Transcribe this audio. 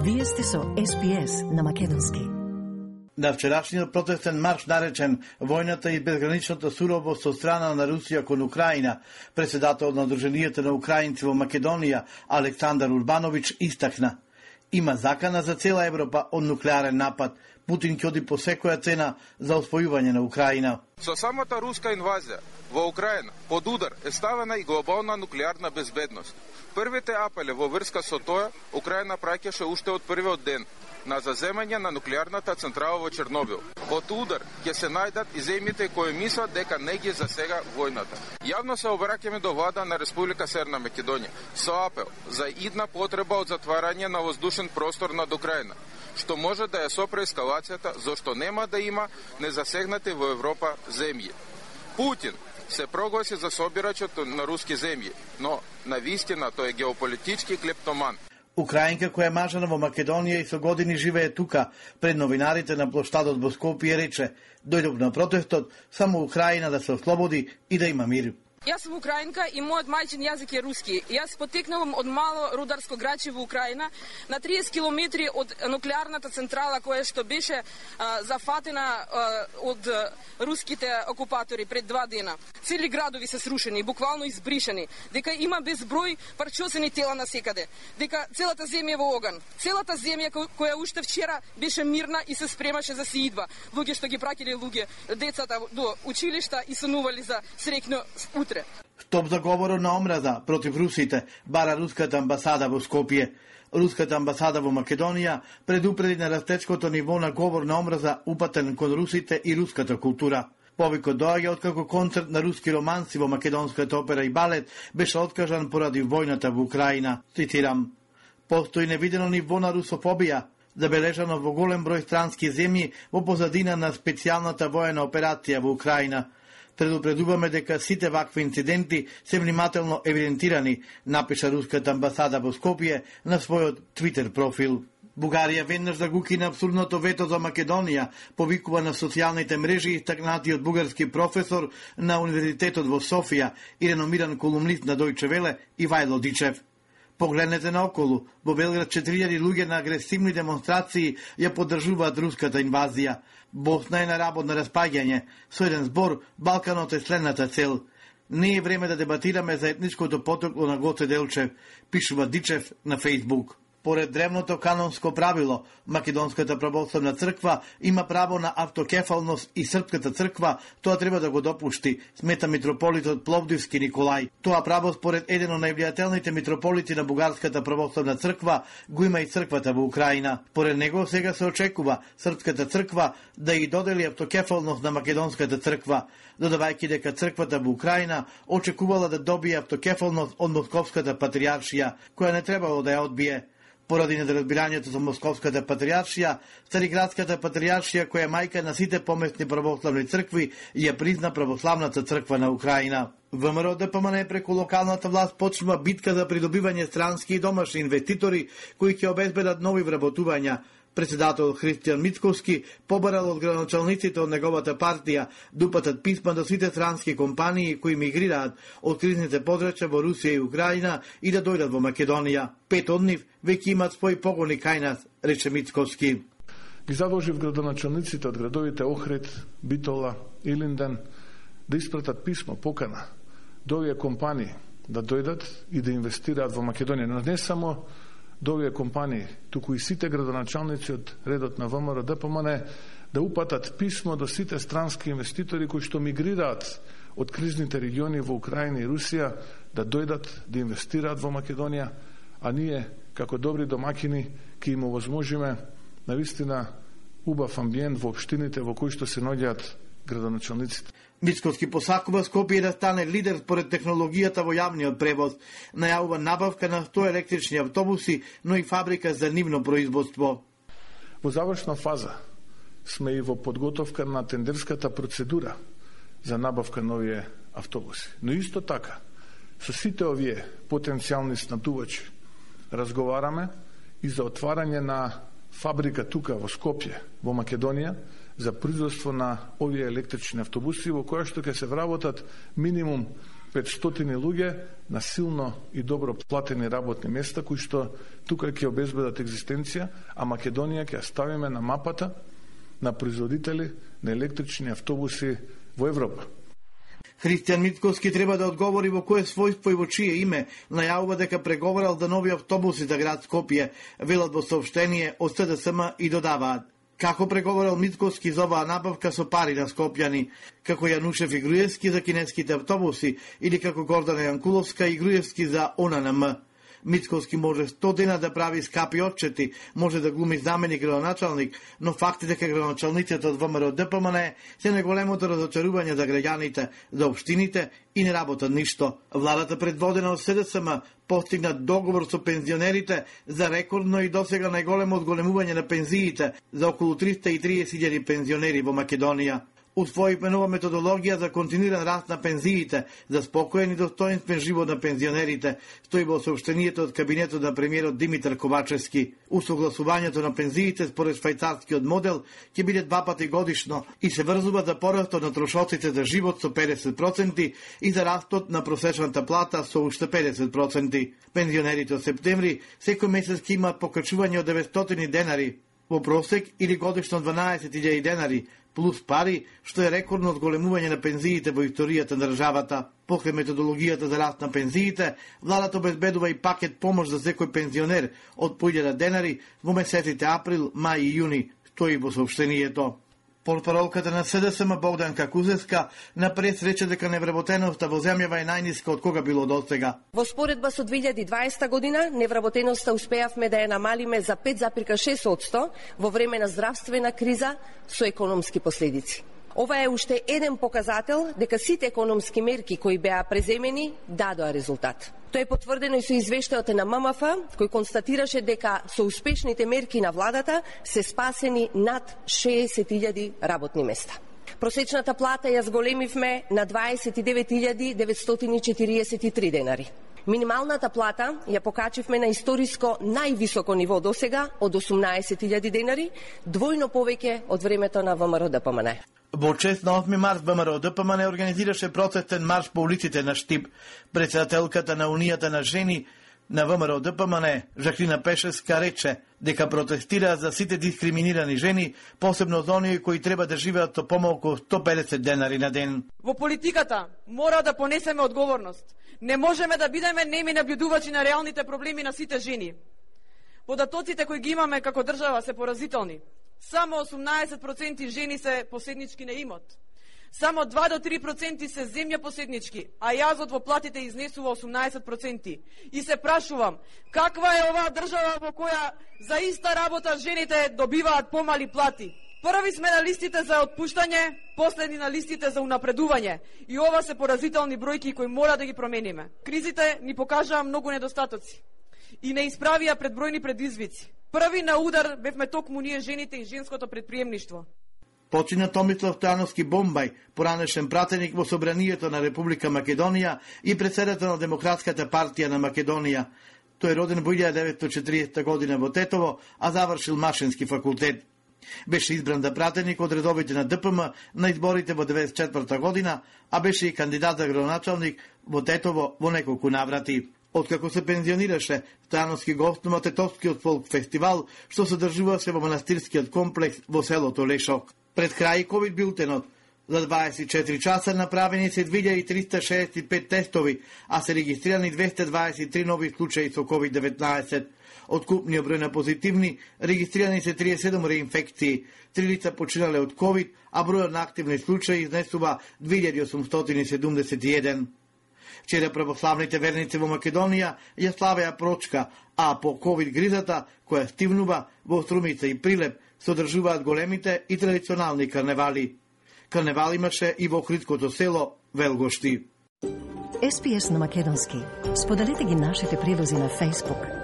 Вие сте со SPS на македонски. На вчерашниот протестен марш наречен војната и безграничната суровост со страна на Русија кон Украина, председател на Удруженијето на украинци во Македонија Александар Урбанович истакна: има закана за цела Европа од нуклеарен напад. Путин ќе оди по секоја цена за освојување на Украина. Со самата руска инвазија во Украина под удар е ставена и глобална нуклеарна безбедност. Првите апели во врска со тоа Украина праќаше уште од првиот ден на заземање на нуклеарната централа во Чернобил. Под удар ќе се најдат и земјите кои мислат дека не ги засега војната. Јавно се обраќаме до влада на Република Северна Македонија со апел за идна потреба од затварање на воздушен простор над Украина, што може да ја сопре ескалацијата, зашто нема да има незасегнати во Европа земји. Путин се прогласи за собирачот на руски земји, но на вистина тој е геополитички клептоман. Украинка која е мажена во Македонија и со години живее тука, пред новинарите на площадот во Скопје рече: дојдов на протестот само Украина да се ослободи и да има мир. Јас сум украинка и мојот мајчин јазик е руски. Јас потекнувам од мало рударско граче во Украина, на 30 километри од нуклеарната централа која што беше зафатена од руските окупатори пред 2 дена. Цели градови се срушени, буквално избришени, дека има безброј парчосени тела насекаде, дека целата земја е во оган. Целата земја која уште вчера беше мирна и се спремаше за сеидба. Луѓе што ги праќале децата до училишта и сонували за среќно утре. Стоп за говорот на омраза против русите бара руската амбасада во Скопје. Руската амбасада во Македонија предупреди на растечкото ниво на говор на омраза упатен кон русите и руската култура. Повикот доаѓа откако концерт на руски романси во македонската опера и балет беше откажан поради војната во Украина. Цитирам: постои невидено ниво на русофобија, забележано во голем број странски земји во позадина на специјалната воена операција во Украина. Предупредуваме дека сите вакви инциденти се внимателно евидентирани, напиша руската амбасада во Скопје на својот Твитер профил. Бугарија веднаш да го укина абсурдното вето за Македонија, повикува на социјалните мрежи истакнатиот бугарски професор на Универзитетот во Софија и реномиран колумнист на Дојче Веле Ивајло Дичев. Погледнете наоколу, во Белград 4000 луѓе на агресивни демонстрации ја поддржуваат руската инвазија. Босна е на работ на распаѓање. Со еден збор, Балканот е следната цел. Не е време да дебатираме за етничкото потекло на Гоце Делчев, пишува Дичев на Фејсбук. Поред древното канонско правило, Македонската православна црква има право на автокефалност и Српската црква тоа треба да го допушти, смета митрополитот Пловдивски Николај. Тоа право според еден од највлијателните митрополити на Бугарската православна црква го има и црквата во Украина. Поред него сега се очекува Српската црква да ја додели автокефалност на Македонската црква, додавајќи дека црквата во Украина очекувала да добие автокефалност од Московската патријаршија, која не требало да ја одбие. Поради недоразбирањето за Московската патријаршија, Цариградската патријаршија, која е мајка на сите поместни православни цркви, ја призна православната црква на Украина. ВМРО ДПМН преку локалната власт почнува битка за придобивање странски и домашни инвеститори кои ќе обезбедат нови вработувања. Председател Христијан Мицковски побарал од градоначалниците од неговата партија да упатат писма до сите странски компании кои мигрираат од кризните подрачја во Русија и Украина и да дојдат во Македонија. 5 од нив веќе имаат своји погони кај нас, рече Мицковски. Ги задолжив градоначалниците од градовите Охрид, Битола, Илинден да испратат писмо, покана до овие компании да дојдат и да инвестираат во Македонија. Но не само до овие компании, туку и сите градоначалници од редот на ВМРО ДПМН да упатат писмо до сите странски инвеститори кои што мигрираат од кризните региони во Украина и Русија да дојдат да инвестираат во Македонија, а ние како добри домакини ќе им овозможиме навистина убав амбиент во општините во кои што се наоѓаат градоначалниците. Мицковски посакува Скопје да стане лидер според технологијата во јавниот превоз. Најавува набавка на 100 електрични автобуси, но и фабрика за нивно производство. Во завршна фаза сме и во подготовка на тендерската процедура за набавка на овие автобуси. Но исто така, со сите овие потенцијални снабдувачи разговараме и за отварање на фабрика тука во Скопје, во Македонија, за производство на овие електрични автобуси во која што ќе се вработат минимум 500 луѓе на силно и добро платени работни места, кои што тука ќе обезбедат екзистенција, а Македонија ќе ставиме на мапата на производители на електрични автобуси во Европа. Христијан Митковски треба да одговори во кое својство и во чие име најавува дека преговарал за нови автобуси за град Скопје, велат во соопштение од СДСМ и додаваат. Како преговарал Митковски за оваа набавка со пари на скопјани, како Јанушев и Груевски за кинеските автобуси или како Гордана Јанкуловска и Груевски за ОННМ. Митковски може 100 дена да прави скапи отчети, може да глуми заменик градоначалник, но факт е дека градоначалниците од ВМРО ДПМН се најголемото разочарување за граѓаните, за општините и не работат ништо. Владата предводена од СДСМ постигна договор со пензионерите за рекордно и досега најголемо одголемување на пензиите за околу 330.000 пензионери во Македонија. Усвоивме нова методологија за континуиран раст на пензиите, за спокоен и достоинствен живот на пензионерите, стои во соопштението од кабинетот на премиерот Димитар Ковачевски. Усогласувањето на пензиите според швајцарскиот модел ќе биде 2 пати годишно и се врзува за порастот на трошоците за живот со 50% и за растот на просечната плата со уште 50%. Пензионерите од септември секој месец ќе имаат покачување од 900 денари во просек или годишно 12.000 денари, плюс пари, што е рекордно одголемување на пензиите во историјата на државата. Покрај методологијата за раст на пензиите, владата обезбедува и пакет помош за секој пензионер од по 1000 денари во месеците април, мај и јуни, стои во соопштението. Портпаролката на СДСМ Богданка Кузевска напред рече дека невработеноста во земјава е најниска од кога било досега. Во споредба со 2020 година, невработеноста успеавме да ја намалиме за 5,6% во време на здравствена криза со економски последици. Ова е уште еден показател дека сите економски мерки кои беа преземени дадоа резултат. Тоа е потврдено и со извештајот на ММФ, кој констатираше дека со успешните мерки на владата се спасени над 60.000 работни места. Просечната плата ја зголемивме на 29.943 денари. Минималната плата ја покачивме на историско највисоко ниво досега од 18.000 денари, двојно повеќе од времето на ВМРО ДПМН. Во чест на 8 март ВМРО ДПМН организираше протестен марш по улиците на Штип. Председателката на Унијата на жени на ВМРО ДПМН, Жаклина Пешевска, рече дека протестира за сите дискриминирани жени, посебно за оние кои треба да живеат со помалку 150 денари на ден. Во политиката мора да понесеме одговорност. Не можеме да бидеме неми наблюдувачи на реалните проблеми на сите жени. Податоците кои ги имаме како држава се поразителни. Само 18% жени се поседнички на имот. Само 2 до 3% се земја поседнички, а јазот во платите изнесува 18%. И се прашувам, каква е оваа држава во која за иста работа жените добиваат помали плати? Први сме на листите за отпуштање, последни на листите за унапредување. И ова се поразителни бројки кои мора да ги промениме. Кризите ни покажаа многу недостатоци и не исправија пред бројни предизвици. Први на удар бевме токму ние жените и женското предприемништво. Почина Томислав Стојановски Бомбај, поранешен пратеник во Собранието на Република Македонија и председател на Демократската партија на Македонија. Тој е роден во 1940 година во Тетово, а завршил Машински факултет. Беше избран за пратеник од редовите на ДПМ на изборите во 1994 година, а беше и кандидат за градоначалник во Тетово во неколку наврати. Откако се пензионираше, Стојановски гостува Тетовскиот фолк фестивал, што се одржуваше во манастирскиот комплекс во селото Лешок. Пред крај ковид билтенот, за 24 часа направени се 2365 тестови, а се регистрирани 223 нови случаи со COVID-19. Од купниот број на позитивни, регистрирани се 37 реинфекции, 3 лица починале од COVID, а бројот на активни случаи изнесува 2871. Вчера православните верници во Македонија ја славеа Прочка, а по COVID гризата, која стивнува во Струмица и Прилеп, се одржуваат големите и традиционални карневали. Карневал имаше и во Охридското село Велгошти. SPS на македонски. Споделете ги нашите прилози на Facebook,